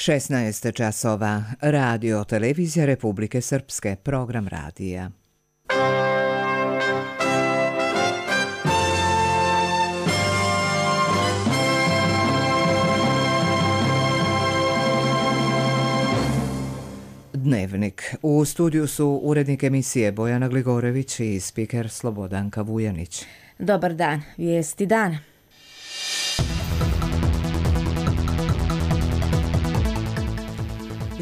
16 časova. Radio Televizija Republike Srpske. Program radija. Dnevnik. U studiju su urednik emisije Bojana Gligorević i spiker Slobodanka Vujanić. Dobar dan. Vijesti dana.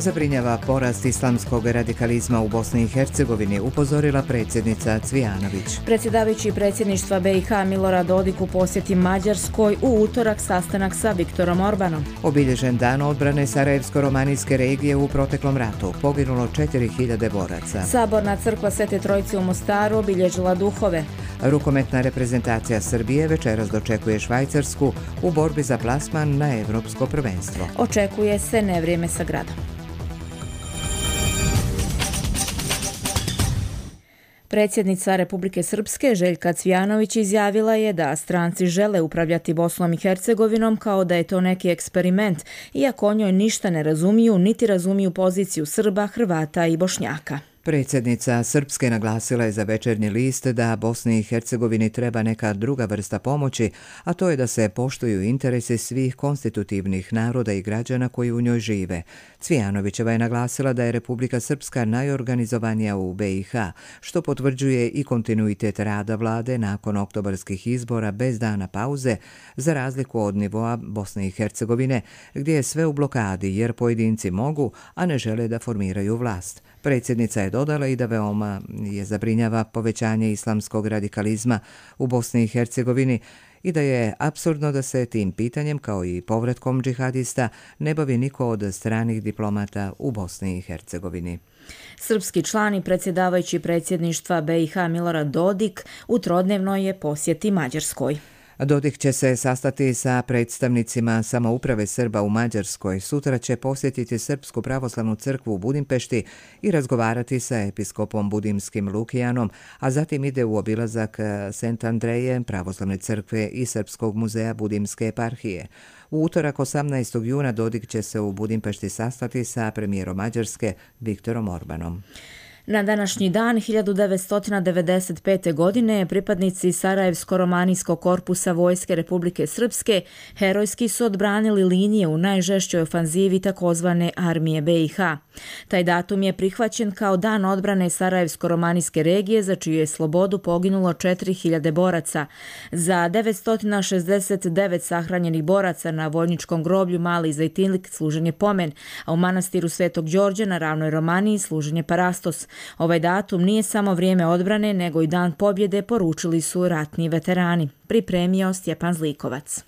Zabrinjava porast islamskog radikalizma u Bosni i Hercegovini, upozorila predsjednica Cvijanović. Predsjedavajući predsjedništva BiH Milorad Dodik u posjeti Mađarskoj, u utorak sastanak sa Viktorom Orbanom. Obilježen dan odbrane Sarajevsko-romanijske regije u proteklom ratu. Poginulo 4000 boraca. Saborna crkva Svete Trojice u Mostaru obilježila duhove. Rukometna reprezentacija Srbije večeras dočekuje Švajcarsku u borbi za plasman na Evropsko prvenstvo. Očekuje se nevrijeme sa gradom. Predsjednica Republike Srpske Željka Cvijanović izjavila je da stranci žele upravljati Bosnom i Hercegovinom kao da je to neki eksperiment, iako o njoj ništa ne razumiju, niti razumiju poziciju Srba, Hrvata i Bošnjaka. Predsjednica Srpske naglasila je za Večernji list da Bosni i Hercegovini treba neka druga vrsta pomoći, a to je da se poštuju interese svih konstitutivnih naroda i građana koji u njoj žive. Cvijanovićeva je naglasila da je Republika Srpska najorganizovanija u BiH, što potvrđuje i kontinuitet rada vlade nakon oktobarskih izbora bez dana pauze, za razliku od nivoa Bosne i Hercegovine, gdje je sve u blokadi jer pojedinci mogu, a ne žele da formiraju vlast. Predsjednica je dodala i da veoma je zabrinjava povećanje islamskog radikalizma u Bosni i Hercegovini i da je apsurdno da se tim pitanjem, kao i povratkom džihadista, ne bavi niko od stranih diplomata u Bosni i Hercegovini. Srpski član i predsjedavajući predsjedništva BiH Milorad Dodik u trodnevnoj je posjeti Mađarskoj. Dodik će se sastati sa predstavnicima samouprave Srba u Mađarskoj. Sutra će posjetiti Srpsku pravoslavnu crkvu u Budimpešti i razgovarati sa episkopom budimskim Lukijanom, a zatim ide u obilazak Sent Andreje, pravoslavne crkve i Srpskog muzeja Budimske eparhije. U utorak 18. juna Dodik će se u Budimpešti sastati sa premijerom Mađarske Viktorom Orbanom. Na današnji dan 1995. godine pripadnici Sarajevsko-romanijskog korpusa Vojske Republike Srpske herojski su odbranili linije u najžešćoj ofanzivi takozvane armije BiH. Taj datum je prihvaćen kao dan odbrane Sarajevsko-romanijske regije, za čiju je slobodu poginulo 4000 boraca. Za 969 sahranjenih boraca na vojničkom groblju Mali Zajtinlik služen je pomen, a u manastiru Svetog Đorđa na ravnoj Romaniji služen je parastos. Ovaj datum nije samo vrijeme odbrane, nego i dan pobjede, poručili su ratni veterani. Pripremio Stjepan Zlikovac.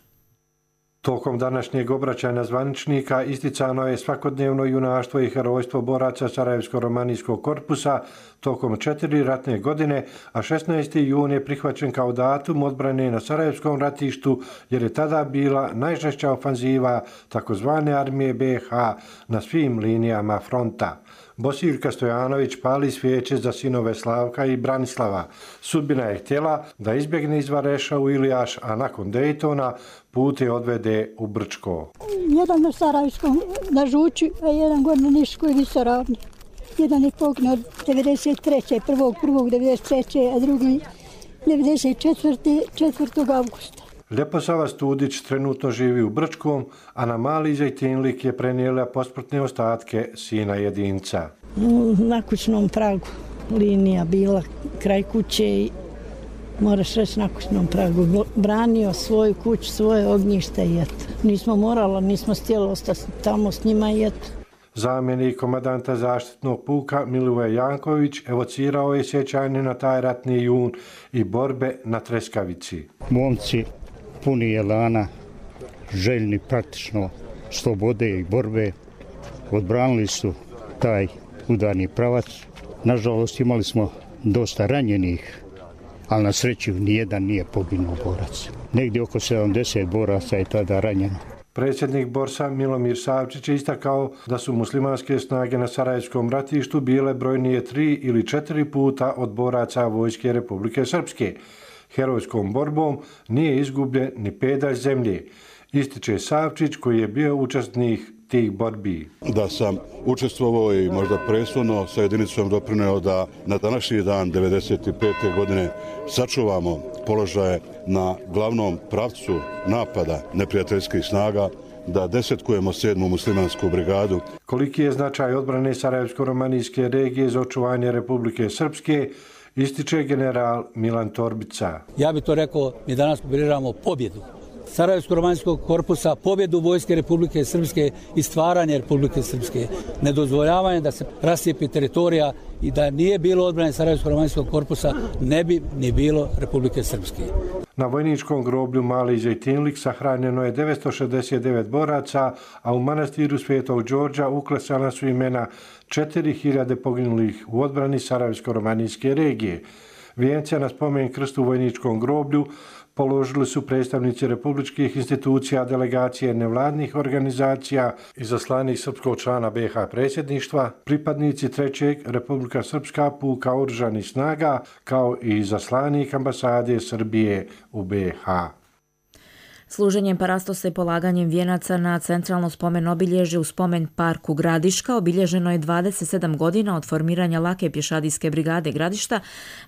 Tokom današnjeg obraćanja zvaničnika isticano je svakodnevno junaštvo i herojstvo boraca Sarajevsko-romanijskog korpusa tokom 4 ratne godine, a 16. jun je prihvaćen kao datum odbrane na Sarajevskom ratištu jer je tada bila najžešća ofanziva takozvane armije BiH na svim linijama fronta. Bosiljka Stojanović pali svijeće za sinove Slavka i Branislava. Sudbina je htjela da izbjegne iz Vareša u Ilijaš, a nakon Dejtona put je odvede u Brčko. Jedan na Sarajevskom na Žuči, a jedan gore na Niškoj visoravni. Jedan je poginuo 93. 1.1.93. a drugi 94. augusta. Ljeposava Studić trenutno živi u Brčkom, a na Mali Zajtinlik je prenijela posmrtne ostatke sina jedinca. Na kućnom pragu linija bila kraj kuće i moraš reći na kućnom pragu. Branio svoju kuću, svoje ognjište i eto. Nismo morali, nismo htjeli ostati tamo s njima i eto. Zamjenik komandanta zaštitnog puka Milivoje Janković evocirao je sjećanje na taj ratni jun i borbe na Treskavici. Momci puni elana, željni praktično slobode i borbe, odbranili su taj udarni pravac. Nažalost imali smo dosta ranjenih, ali na sreću nijedan nije poginuo borac. Negdje oko 70 boraca je tada ranjeno. Predsjednik Borsa Milomir Savčić je istakao da su muslimanske snage na Sarajevskom ratištu bile brojnije 3 ili 4 puta od boraca Vojske Republike Srpske. Herojskom borbom nije izgubljen ni pedalj zemlje, ističe Savčić koji je bio učesnik tih borbi. Da sam učestvovao i možda presudno sa jedinicom doprineo da na današnji dan 1995. godine sačuvamo položaje na glavnom pravcu napada neprijateljskih snaga, da desetkujemo 7. muslimansku brigadu. Koliki je značaj odbrane Sarajevsko-romanijske regije za očuvanje Republike Srpske, ističe general Milan Torbica. Ja bih to rekao, mi danas pobjeđujemo pobjedu Sarajevsko-romanijskog korpusa, pobjedu Vojske Republike Srpske i stvaranje Republike Srpske. Nedozvoljavanje da se rascijepi teritorija i da nije bilo odbrane Sarajevsko-romanijskog korpusa, ne bi ni bilo Republike Srpske. Na vojničkom groblju Mali Zejtinlik sahranjeno je 969 boraca, a u manastiru Svetog Đorđa uklesana su imena 4000 poginulih u odbrani Sarajevsko-romanijske regije. Vijence na spomen krstu u vojničkom groblju položili su predstavnici republičkih institucija, delegacije nevladnih organizacija, izaslanih srpskog člana BiH predsjedništva, pripadnici 3. Republika Srpska puka oružanih snaga, kao i izaslanik ambasade Srbije u BiH. Služenjem parastosa i polaganjem vijenaca na centralno spomen obilježje u spomen parku Gradiška obilježeno je 27 godina od formiranja lake pješadijske brigade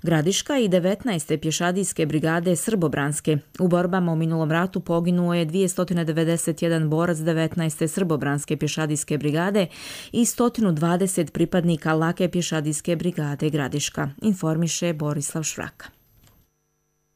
Gradiška i 19. pješadijske brigade Srbobranske. U borbama u minulom ratu poginuo je 291 borac 19. Srbobranske pješadijske brigade i 120 pripadnika lake pješadijske brigade Gradiška, informiše Borislav Švraka.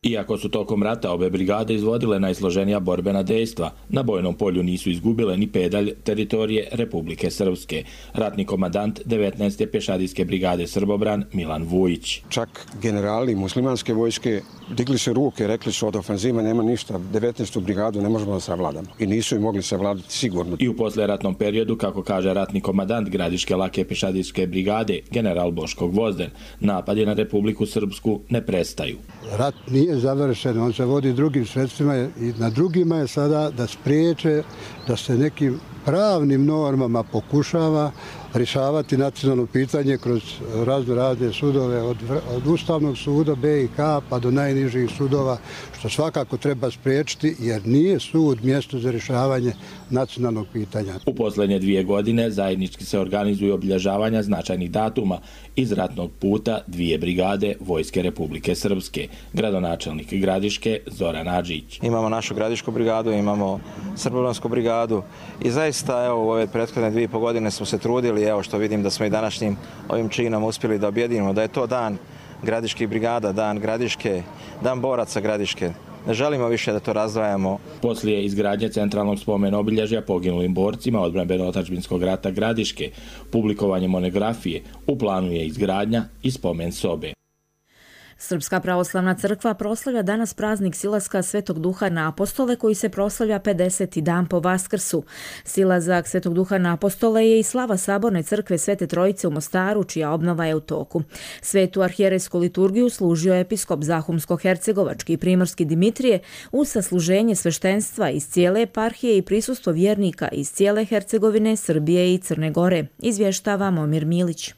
Iako su tokom rata obe brigade izvodile najsloženija borbena dejstva, na bojnom polju nisu izgubile ni pedalj teritorije Republike Srpske. Ratni komandant 19. pješadijske brigade Srbobran Milan Vujić. Čak generali muslimanske vojske digli se ruke, rekli su od ofenziva nema ništa, 19. brigadu ne možemo da savladamo. I nisu i mogli savladati sigurno. I u posleratnom periodu, kako kaže ratni komandant Gradiške lake pješadijske brigade, general Boško Gvozden, napadi na Republiku Srpsku ne prestaju. Rat nije završen, on se vodi drugim sredstvima i na drugima je sada da spriječe da se nekim pravnim normama pokušava rješavati nacionalno pitanje kroz razne sudove od Ustavnog suda BiH pa do najnižih sudova, što svakako treba spriječiti jer nije sud mjesto za rješavanje nacionalnog pitanja. U posljednje 2 godine zajednički se organizuju obilježavanja značajnih datuma iz ratnog puta 2 brigade Vojske Republike Srpske. Gradonačelnik Gradiške Zoran Adžić. Imamo našu Gradišku brigadu, imamo Srbobransku brigadu i zaista evo, u ove prethodne 2,5 godine smo se trudili, evo što vidim da smo i današnjim ovim činom uspjeli da objedinimo, da je to dan Gradiških brigada, dan Gradiške, dan boraca Gradiške. Ne želimo više da to razdvajamo. Poslije izgradnje centralnog spomen obilježja poginulim borcima odbrambeno-otadžbinskog rata Gradiške, publikovanje monografije, u planu je izgradnja i spomen sobe. Srpska pravoslavna crkva proslavlja danas praznik silaska Svetog Duha na apostole koji se proslavlja 50. dan po Vaskrsu. Silazak Svetog Duha na apostole je i slava Saborne crkve Svete Trojice u Mostaru, čija obnova je u toku. Svetu arhijerejsku liturgiju služio je episkop Zahumsko-hercegovački i primorski Dimitrije uz sasluženje sveštenstva iz cijele eparhije i prisustvo vjernika iz cijele Hercegovine, Srbije i Crne Gore, izvještava Momir Milić.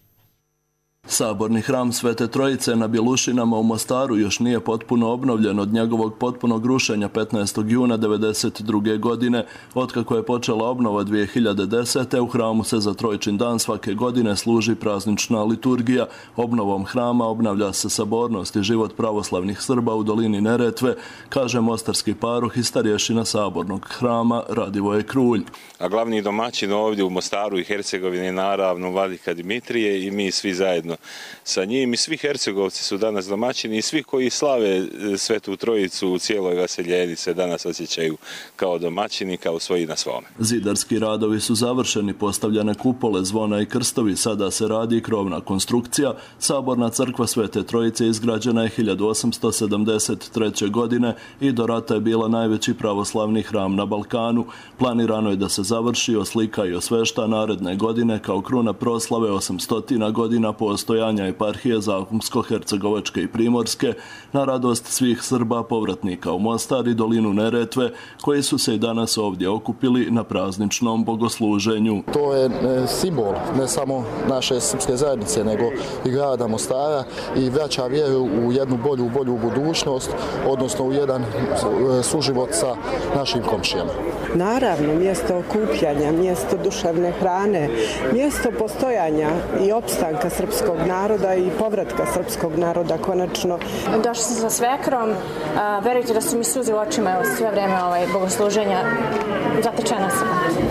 Saborni hram Svete Trojice na Bjelušinama u Mostaru još nije potpuno obnovljen od njegovog potpunog rušenja 15. juna 1992. godine. Otkako je počela obnova 2010. u hramu se za Trojčin dan svake godine služi praznična liturgija. Obnovom hrama obnavlja se sabornost i život pravoslavnih Srba u dolini Neretve, kaže mostarski paruh i starješina Sabornog hrama Radivoje Krulj. A glavni domaćin ovdje u Mostaru i Hercegovini naravno vladika Dimitrije i mi svi zajedno sa njim i svi Hercegovci su danas domaćini i svi koji slave Svetu Trojicu u cijeloj Vaseljeni se danas osjećaju kao domaćini, kao svoji na svome. Zidarski radovi su završeni, postavljene kupole, zvona i krstovi, sada se radi i krovna konstrukcija. Saborna crkva Svete Trojice izgrađena je 1873. godine i do rata je bila najveći pravoslavni hram na Balkanu. Planirano je da se završi, oslika i osvešta naredne godine kao kruna proslave 800 godina postojanja postojanja eparhije Zahumsko-Hercegovačke i Primorske, na radost svih Srba povratnika u Mostar i dolinu Neretve, koji su se i danas ovdje okupili na prazničnom bogosluženju. To je simbol ne samo naše srpske zajednice, nego i grada Mostara i vraća vjeru u jednu bolju budućnost, odnosno u jedan suživot sa našim komšijama. Naravno, mjesto okupljanja, mjesto duševne hrane, mjesto postojanja i opstanka srpskog naroda i povratka srpskog naroda konačno. Došla sam sa svekrom, verujte da su mi suze u očima sve vreme bogosluženja, zatečena sam.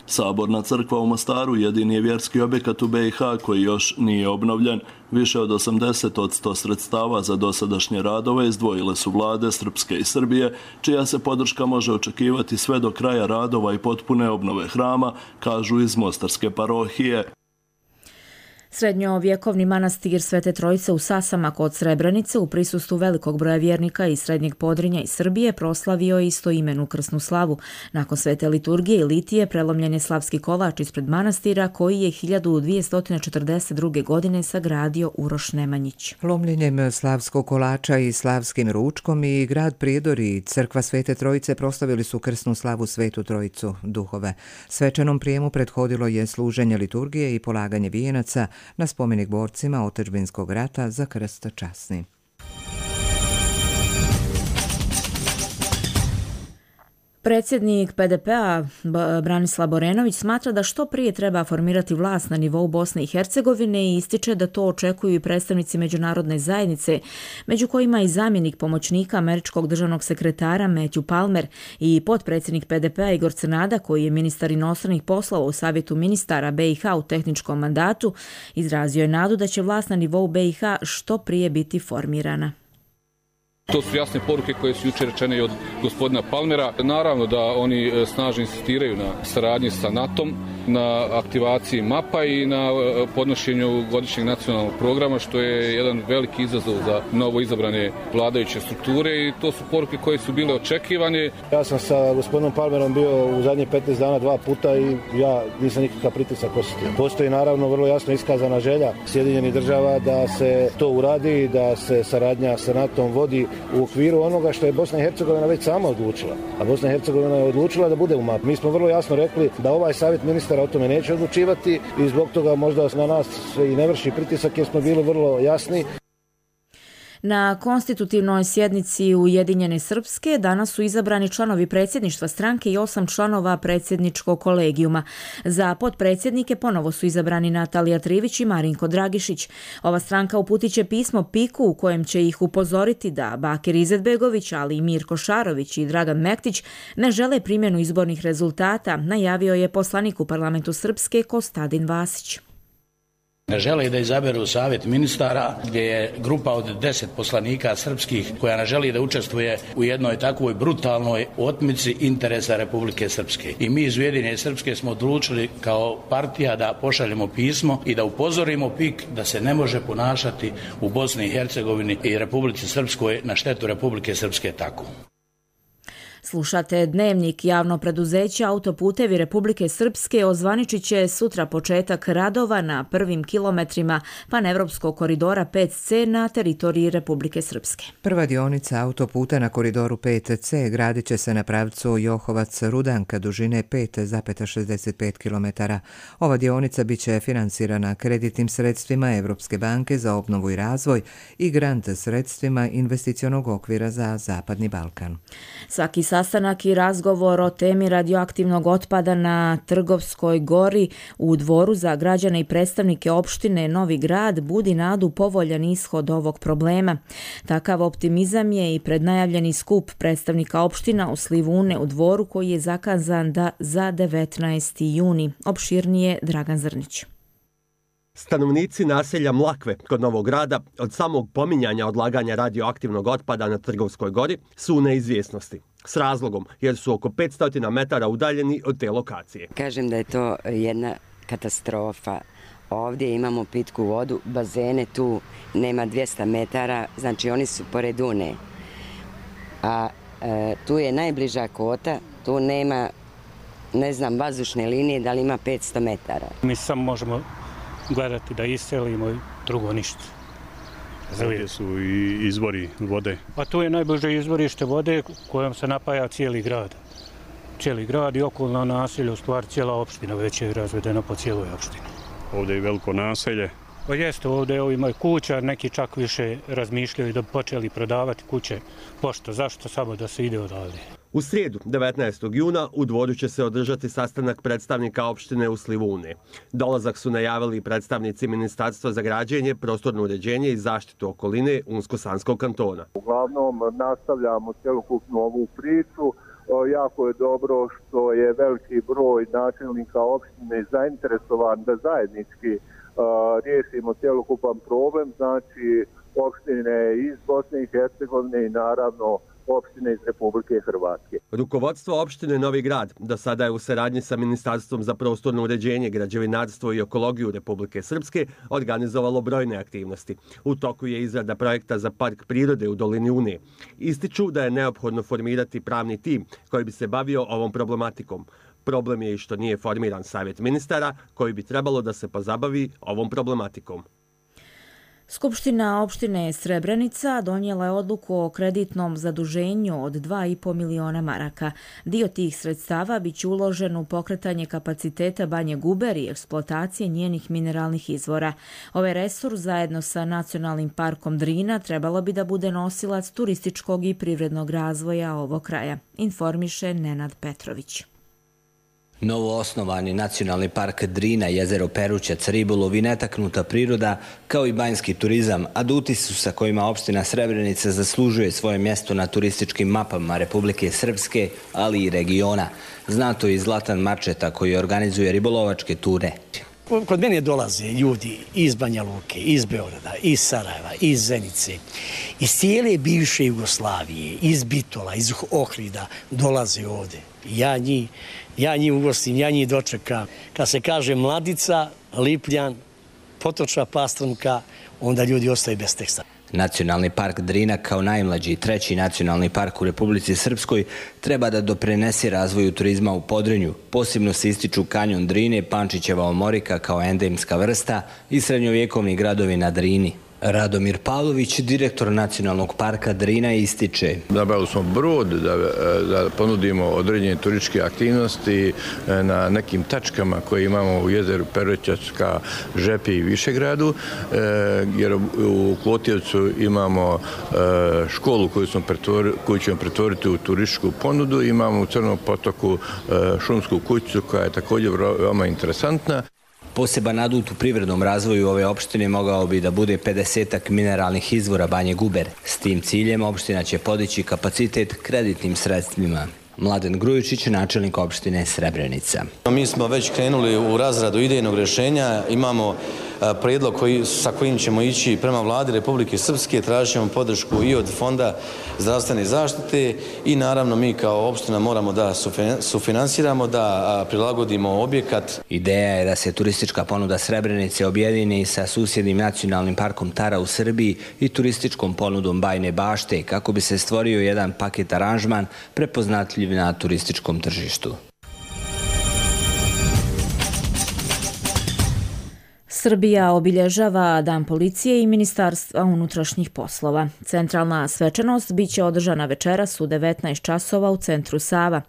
Saborna crkva u Mostaru jedini je vjerski objekat u BiH koji još nije obnovljen. Više od 80% sredstava za dosadašnje radove izdvojile su vlade Srpske i Srbije, čija se podrška može očekivati sve do kraja radova i potpune obnove hrama, kažu iz Mostarske parohije. Srednjovjekovni manastir Svete Trojice u Sasama kod Srebrenice u prisustvu velikog broja vjernika iz Srednjeg Podrinja i Srbije proslavio je istoimenu krsnu slavu. Nakon svete liturgije i litije prelomljen je slavski kolač ispred manastira koji je 1242. godine sagradio Uroš Nemanjić. Lomljenjem slavskog kolača i slavskim ručkom i grad Prijedor i crkva Svete Trojice proslavili su krsnu slavu Svetu Trojicu duhove. Svečanom prijemu prethodilo je služenje liturgije i polaganje vijenaca na spomenik borcima otadžbinskog rata za krst časni. Predsjednik PDP-a Branislav Borenović smatra da što prije treba formirati vlast na nivou Bosne i Hercegovine i ističe da to očekuju i predstavnici međunarodne zajednice, među kojima i zamjenik pomoćnika američkog državnog sekretara Matthew Palmer i potpredsjednik PDP-a Igor Crnada, koji je ministar inostranih poslova u Savjetu ministara BiH u tehničkom mandatu, izrazio je nadu da će vlast na nivou BiH što prije biti formirana. To su jasne poruke koje su jučer rečene i od gospodina Palmera. Naravno da oni snažno insistiraju na saradnji sa NATO-om, na aktivaciji MAP-a i na podnošenju godišnjeg nacionalnog programa, što je jedan veliki izazov za novo izabrane vladajuće strukture i to su poruke koje su bile očekivane. Ja sam sa gospodinom Palmerom bio u zadnjih 15 dana 2 puta i ja nisam nikakav pritisak osjetio. Postoji naravno vrlo jasno iskazana želja Sjedinjenih država da se to uradi, da se saradnja sa NATO-om vodi u okviru onoga što je Bosna i Hercegovina već sama odlučila. A Bosna i Hercegovina je odlučila da bude u MAP. Mi smo vrlo jasno rekli da ovaj savjet ministara o tome neće odlučivati i zbog toga možda na nas se i ne vrši pritisak jer smo bili vrlo jasni. Na konstitutivnoj sjednici Ujedinjene Srpske danas su izabrani članovi predsjedništva stranke i 8 članova predsjedničkog kolegijuma. Za potpredsjednike ponovo su izabrani Natalija Trivić i Marinko Dragišić. Ova stranka uputit će pismo PIK-u u kojem će ih upozoriti da Bakir Izetbegović, ali i Mirko Šarović i Dragan Mektić ne žele primjenu izbornih rezultata, najavio je poslanik u parlamentu Srpske Kostadin Vasić. Ne žele da izaberu savjet ministara gdje je grupa od 10 poslanika srpskih koja ne želi da učestvuje u jednoj takvoj brutalnoj otmici interesa Republike Srpske. I mi iz Ujedinjene Srpske smo odlučili kao partija da pošaljemo pismo i da upozorimo PIK da se ne može ponašati u Bosni i Hercegovini i Republici Srpskoj na štetu Republike Srpske tako. Slušate Dnevnik. Javno preduzeće Autoputevi Republike Srpske ozvaničit će sutra početak radova na prvim kilometrima panevropskog koridora 5C na teritoriji Republike Srpske. Prva dionica autoputa na koridoru 5C gradit će se na pravcu Johovac-Rudanka dužine 5,65 km. Ova dionica bit će finansirana kreditnim sredstvima Evropske banke za obnovu i razvoj i grant sredstvima investicionog okvira za Zapadni Balkan. Svaki sastanak i razgovor o temi radioaktivnog otpada na Trgovskoj gori u Dvoru za građane i predstavnike opštine Novi Grad budi nadu povoljan ishod ovog problema. Takav optimizam je i prednajavljeni skup predstavnika opština u Slivune u Dvoru koji je zakazan za 19. juni. Opširnije Dragan Zrnić. Stanovnici naselja Mlakve kod Novog Grada od samog pominjanja odlaganja radioaktivnog otpada na Trgovskoj gori su u neizvjesnosti. S razlogom, jer su oko 500 metara udaljeni od te lokacije. Kažem da je to jedna katastrofa. Ovdje imamo pitku vodu, bazene tu nema 200 metara, znači oni su pored Une. A tu je najbliža kota, tu nema, ne znam, vazdušne linije, da li ima 500 metara. Mi samo možemo gledati da iselimo, drugo ništa. Ovdje su i izvori vode. A tu je najbliže izvorište vode kojom se napaja cijeli grad. Cijeli grad i okolna naselja, u stvari cijela opština već je razvedena po cijeloj opštini. Ovdje je veliko naselje. Pa jeste, ovdje ima kuća, neki čak više razmišljaju da bi počeli prodavati kuće. Pošto, zašto samo da se ide odavde? U srijedu, 19. juna, u Dvoru će se održati sastanak predstavnika opštine u Slivune. Dolazak su najavili predstavnici Ministarstva za građenje, prostorno uređenje i zaštitu okoline Unsko-Sanskog kantona. Uglavnom nastavljamo cjelokupnu ovu priču. Jako je dobro što je veliki broj načelnika opštine zainteresovan da zajednički riješimo cjelokupan problem, znači opštine iz Bosne i Hercegovine i naravno opštine iz Republike Hrvatske. Rukovodstvo opštine Novi Grad do sada je u saradnji sa Ministarstvom za prostorno uređenje, građevinarstvo i ekologiju Republike Srpske organizovalo brojne aktivnosti. U toku je izrada projekta za park prirode u dolini Une. Ističu da je neophodno formirati pravni tim koji bi se bavio ovom problematikom. Problem je i što nije formiran savjet ministara koji bi trebalo da se pozabavi ovom problematikom. Skupština opštine Srebrenica donijela je odluku o kreditnom zaduženju od 2,5 miliona maraka. Dio tih sredstava biće uložen u pokretanje kapaciteta Banje Guber i eksploatacije njenih mineralnih izvora. Ovaj resurs zajedno sa Nacionalnim parkom Drina trebalo bi da bude nosilac turističkog i privrednog razvoja ovog kraja, informiše Nenad Petrović. Novo osnovani Nacionalni park Drina, jezero Perućac, ribolov i netaknuta priroda, kao i banjski turizam, aduti su sa kojima opština Srebrenica zaslužuje svoje mjesto na turističkim mapama Republike Srpske, ali i regiona. Zna to i Zlatan Marčeta koji organizuje ribolovačke ture. Kod mene dolaze ljudi iz Banja Luke, iz Beograda, iz Sarajeva, iz Zenice, iz cijele bivše Jugoslavije, iz Bitola, iz Ohrida, dolaze ovdje. Ja njih ugostim, ja njih dočekam. Kad se kaže Mladica, Lipljan, Potočna Pastrumka, onda ljudi ostaju bez teksta. Nacionalni park Drina kao najmlađi i treći nacionalni park u Republici Srpskoj treba da doprinese razvoju turizma u Podrinju. Posebno se ističu kanjon Drine, Pančićeva omorika kao endemska vrsta i srednjovjekovni gradovi na Drini. Radomir Pavlović, direktor Nacionalnog parka Drina, ističe. Nabavili smo brod da ponudimo određene turističke aktivnosti na nekim tačkama koje imamo u jezeru Perućacka, Žepi i Višegradu, jer u Klotjevcu imamo školu koju ćemo pretvoriti u turističku ponudu, imamo u Crnom potoku šumsku kućicu koja je također veoma interesantna. Poseban adut u privrednom razvoju ove opštine mogao bi da bude 50-ak mineralnih izvora Banje Guber. S tim ciljem opština će podići kapacitet kreditnim sredstvima. Mladen Grujičić, načelnik opštine Srebrenica. Mi smo već krenuli u razradu idejnog rješenja, imamo prijedlog sa kojim ćemo ići prema vladi Republike Srpske, tražit ćemo podršku i od Fonda zdravstvene zaštite i naravno mi kao opština moramo da sufinansiramo, da prilagodimo objekat. Ideja je da se turistička ponuda Srebrenice objedini sa susjednim nacionalnim parkom Tara u Srbiji i turističkom ponudom Bajne Bašte kako bi se stvorio jedan paket aranžman prepoznatljiv na turističkom tržištu. Srbija obilježava Dan policije i Ministarstva unutrašnjih poslova. Centralna svečanost biće održana večeras u 19 časova u centru Sava.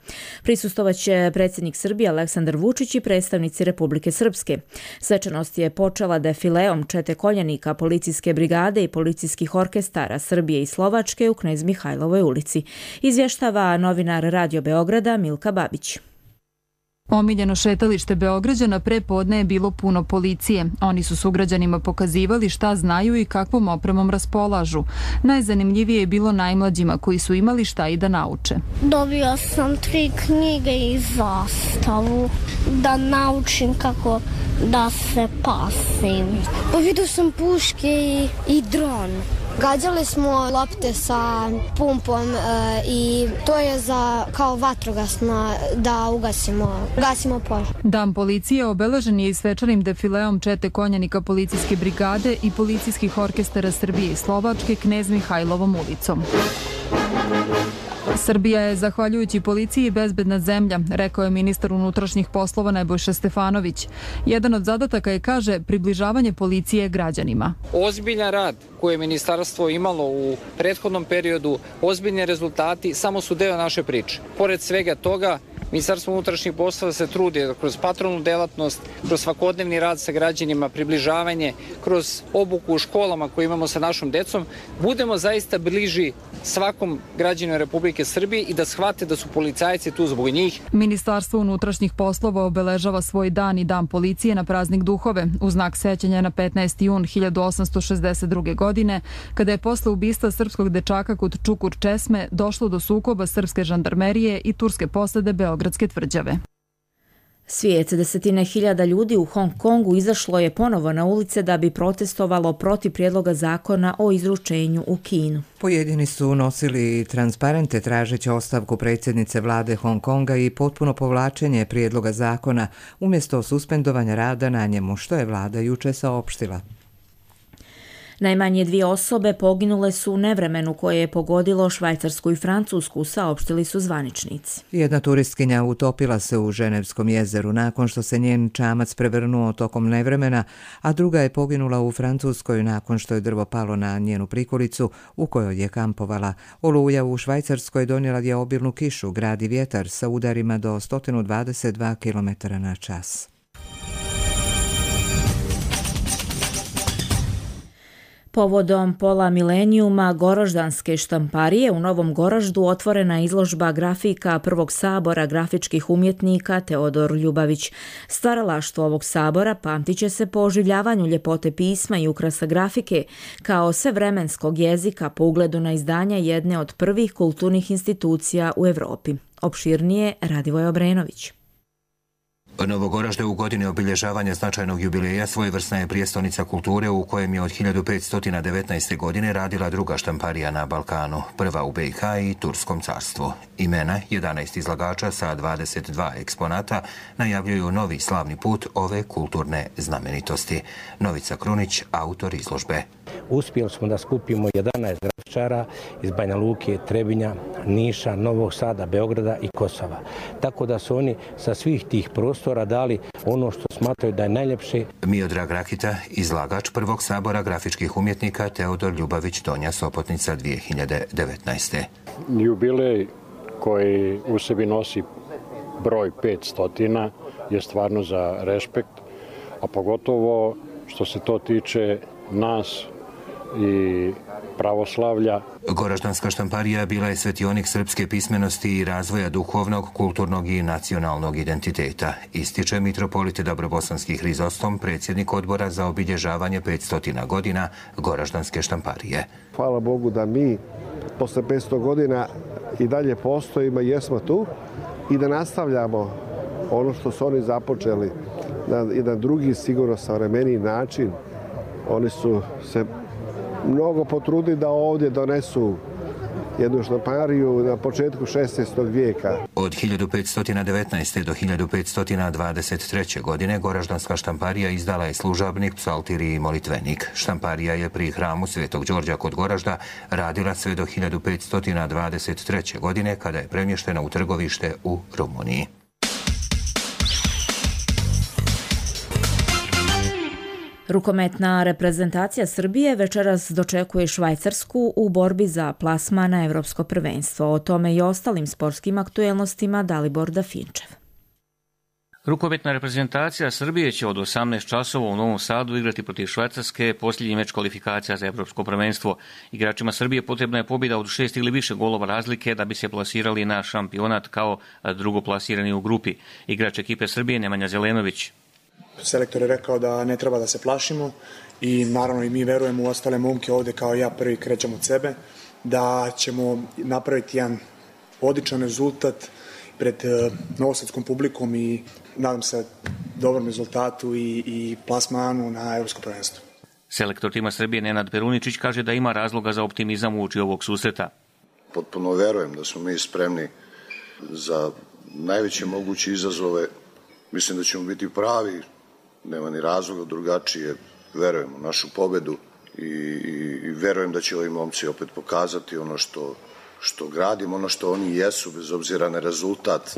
Prisustovaće predsjednik Srbije Aleksandar Vučić i predstavnici Republike Srpske. Svečanost je počela defileom čete koljenika policijske brigade i policijskih orkestara Srbije i Slovačke u Knez Mihajlovoj ulici. Izvještava novinar Radio Beograda Milka Babić. Omiljeno šetalište Beograđana pre podne je bilo puno policije. Oni su sugrađanima pokazivali šta znaju i kakvom opremom raspolažu. Najzanimljivije je bilo najmlađima koji su imali šta i da nauče. Dobio sam 3 knjige i zastavu da naučim kako da se pasim. Vidio sam puške i dron. Gađali smo lopte sa pumpom i to je za kao vatrogasno da ugasimo požar. Dan policije obeležen je i svečanim defileom čete konjanika policijske brigade i policijskih orkestara Srbije i Slovačke Knez Mihajlovom ulicom. Srbija je, zahvaljujući policiji, bezbedna zemlja, rekao je ministar unutrašnjih poslova Nebojša Stefanović. Jedan od zadataka je, kaže, približavanje policije građanima. Ozbiljan rad koje je ministarstvo imalo u prethodnom periodu, ozbiljni rezultati samo su deo naše priče. Pored svega toga, Ministarstvo unutrašnjih poslova se trudi kroz patrolnu delatnost, kroz svakodnevni rad sa građanima, približavanje, kroz obuku u školama koju imamo sa našom decom, budemo zaista bliži svakom građaninu Republike Srbije i da shvate da su policajci tu zbog njih. Ministarstvo unutrašnjih poslova obeležava svoj dan i dan policije na praznik Duhove, u znak sećanja na 15. jun 1862. godine, kada je posle ubistva srpskog dečaka kod Čukur Česme došlo do sukoba srpske žandarmerije i turske posade Beogradske tvrđave. Svijet, desetine hiljada ljudi u Hong Kongu izašlo je ponovo na ulice da bi protestovalo protiv prijedloga zakona o izručenju u Kinu. Pojedini su nosili transparente tražeći ostavku predsjednice vlade Hong Konga i potpuno povlačenje prijedloga zakona umjesto suspendovanja rada na njemu, što je vlada juče saopštila. Najmanje 2 osobe poginule su u nevremenu koje je pogodilo Švajcarsku i Francusku, saopštili su zvaničnici. Jedna turistkinja utopila se u Ženevskom jezeru nakon što se njen čamac prevrnuo tokom nevremena, a druga je poginula u Francuskoj nakon što je drvo palo na njenu prikolicu u kojoj je kampovala. Oluja u Švajcarskoj donijela je obilnu kišu, grad i vjetar sa udarima do 122 km/h. Povodom pola milenijuma Goroždanske štamparije u Novom Goraždu otvorena izložba grafika Prvog sabora grafičkih umjetnika Teodor Ljubavić. Stvaralaštvo ovog sabora pamtit će se po oživljavanju ljepote pisma i ukrasa grafike kao svevremenskog jezika po ugledu na izdanja jedne od prvih kulturnih institucija u Evropi. Opširnije Radivoj Obrenović. Novo Goražde u godini obilježavanja značajnog jubileja svojevrsna je prijestolnica kulture u kojem je od 1519. godine radila druga štamparija na Balkanu, prva u BiH i Turskom carstvu. Imena 11 izlagača sa 22 eksponata najavljuju novi slavni put ove kulturne znamenitosti. Novica Krunić, autor izložbe. Uspjeli smo da skupimo 11 grafičara iz Banja Luke, Trebinja, Niša, Novog Sada, Beograda i Kosova. Tako da su oni sa svih tih prostora dali ono što smatraju da je najljepše. Miodrag Rakita, izlagač Prvog sabora grafičkih umjetnika Teodor Ljubavić, Donja Sopotnica 2019. Jubilej koji u sebi nosi broj 500 je stvarno za respekt, a pogotovo što se to tiče nas i pravoslavlja. Goraždanska štamparija bila je svetionik srpske pismenosti i razvoja duhovnog, kulturnog i nacionalnog identiteta, ističe mitropolit Dobrobosanski Hrizostom, predsjednik odbora za obilježavanje 500 godina Goraždanske štamparije. Hvala Bogu da mi posle 500 godina i dalje postojimo i jesmo tu i da nastavljamo ono što su oni započeli na jedan drugi, sigurno savremeniji način. Oni su se mnogo potrudili da ovdje donesu jednu štampariju na početku 16. vijeka. Od 1519. do 1523. godine Goraždanska štamparija izdala je služabnik, psaltir i molitvenik. Štamparija je pri hramu Svetog Đorđa kod Goražda radila sve do 1523. godine kada je premještena u trgovište u Rumuniji. Rukometna reprezentacija Srbije večeras dočekuje Švajcarsku u borbi za plasman na Evropsko prvenstvo. O tome i ostalim sportskim aktuelnostima Dalibor Dafinčev. Rukometna reprezentacija Srbije će od 18 časova u Novom Sadu igrati protiv Švajcarske, posljednji meč kvalifikacija za Evropsko prvenstvo. Igračima Srbije potrebna je pobjeda od 6 ili više golova razlike da bi se plasirali na šampionat kao drugoplasirani u grupi. Igrač ekipe Srbije Nemanja Zelenović. Selektor je rekao da ne treba da se plašimo i naravno i mi verujemo u ostale momke ovdje kao ja prvi krećem od sebe, da ćemo napraviti jedan odličan rezultat pred novosadskom publikom i nadam se dobrom rezultatu i plasmanu na Evropsko prvenstvo. Selektor tima Srbije Nenad Peruničić kaže da ima razloga za optimizam uoči ovog susreta. Potpuno verujem da smo mi spremni za najveće moguće izazove. Mislim da ćemo biti pravi, nema ni razloga drugačije, verujem u našu pobedu i verujem da će ovi momci opet pokazati ono što što gradimo ono što oni jesu, bez obzira na rezultat,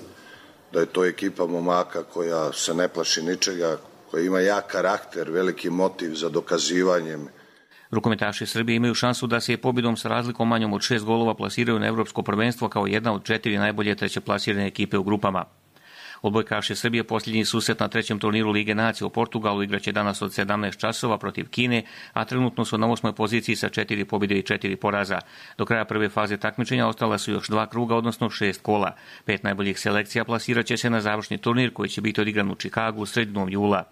da je to ekipa momaka koja se ne plaši ničega, koja ima jak karakter, veliki motiv za dokazivanjem. Rukometaši Srbije imaju šansu da se pobjedom sa razlikom manjom od 6 golova plasiraju na Evropsko prvenstvo kao jedna od 4 najbolje trećeplasirane ekipe u grupama. Odbojkaši Srbije posljednji susret na trećem turniru Lige nacija u Portugalu igraće danas od 17 časova protiv Kine, a trenutno su na 8. poziciji sa 4 pobjede i 4 poraza. Do kraja prve faze takmičenja ostala su još 2 kruga, odnosno 6 kola. 5 najboljih selekcija plasirat će se na završni turnir koji će biti odigran u Čikagu sredinom jula.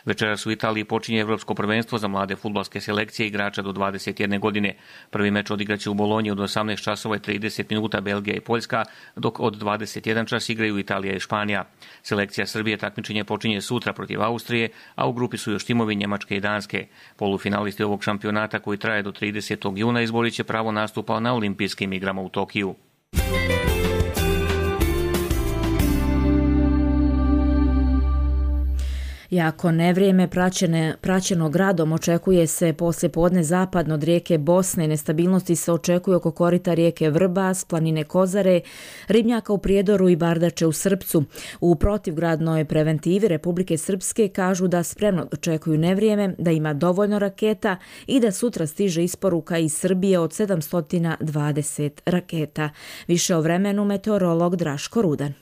Večeras u Italiji počinje Evropsko prvenstvo za mlade fudbalske selekcije igrača do 21 godine. Prvi meč odigraće u Bolonji od 18 časova i 30 minuta Belgija i Poljska, dok od 21 čas igraju Italija i Španija. Selekcija Srbije takmičenje počinje sutra protiv Austrije, a u grupi su još timovi Njemačke i Danske. Polufinalisti ovog šampionata koji traje do 30. juna izborit će pravo nastupa na olimpijskim igrama u Tokiju. Jako nevrijeme praćeno gradom očekuje se poslijepodne zapadno od rijeke Bosne. Nestabilnosti se očekuje oko korita rijeke Vrbas, planine Kozare, ribnjaka u Prijedoru i Bardače u Srpcu. U protivgradnoj preventivi Republike Srpske kažu da spremno očekuju nevrijeme, da ima dovoljno raketa i da sutra stiže isporuka iz Srbije od 720 raketa. Više o vremenu meteorolog Draško Rudan.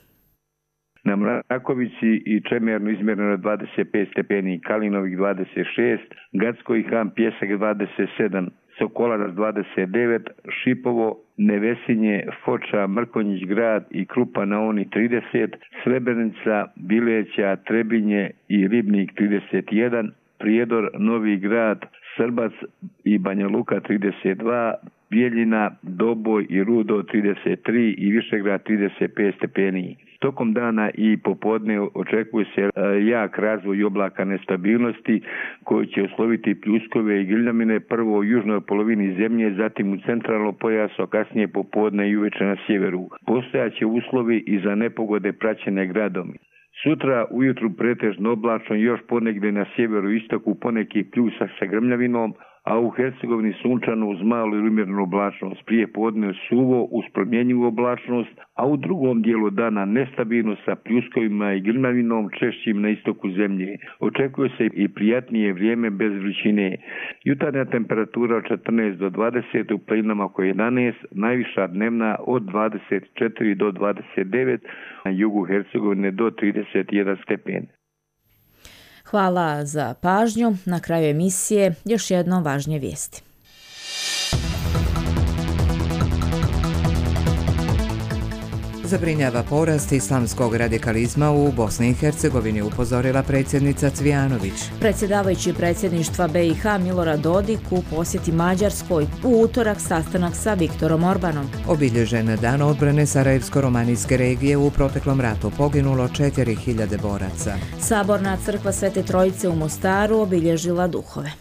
Na Mrakovici i Čemernu izmjereno 25 stepeni, Kalinovih 26, Gacko i Han Pjesak 27, Sokolarac 29, Šipovo, Nevesinje, Foča, Mrkonjić grad i Krupa na Oni 30, Srebrenica, Bileća, Trebinje i Ribnik 31, Prijedor, Novi grad, Srbac i Banja Luka 32, Bijeljina, Doboj i Rudo 33 i Višegrad 35 stepeni. Tokom dana i popodne očekuje se jak razvoj oblaka nestabilnosti koji će osloviti pljuskove i grmljavine prvo u južnoj polovini zemlje, zatim u centralnom pojasu, a kasnije popodne i uveče na sjeveru. Postojaće uslovi i za nepogode praćene gradom. Sutra ujutru pretežno oblačno, još ponegdje na sjeveru istoku poneki pljusak sa grmljavinom, a u Hercegovini sunčano uz malu ili umjerenu oblačnost, prije podne suvo uz promjenjivu oblačnost, a u drugom dijelu dana nestabilno sa pljuskovima i grmljavinom češćim na istoku zemlje. Očekuje se i prijatnije vrijeme bez vrućine. Jutarnja temperatura od 14 do 20, u planinama oko 11, najviša dnevna od 24 do 29, na jugu Hercegovine do 31 stepen. Hvala za pažnju. Na kraju emisije još jedno važnije vijesti. Zabrinjava porast islamskog radikalizma u Bosni i Hercegovini, upozorila predsjednica Cvijanović. Predsjedavajući predsjedništva BiH Milorad Dodik u posjeti Mađarskoj, u utorak sastanak sa Viktorom Orbanom. Obilježen dan odbrane Sarajevsko-romanijske regije, u proteklom ratu poginulo 4000 boraca. Saborna crkva Svete Trojice u Mostaru obilježila duhove.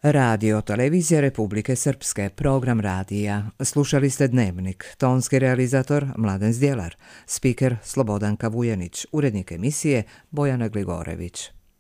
Radio Televizija Republike Srpske, program radija. Slušali ste Dnevnik, tonski realizator Mladen Zdjelar, spiker Slobodanka Vujanić, urednik emisije Bojana Gligorević.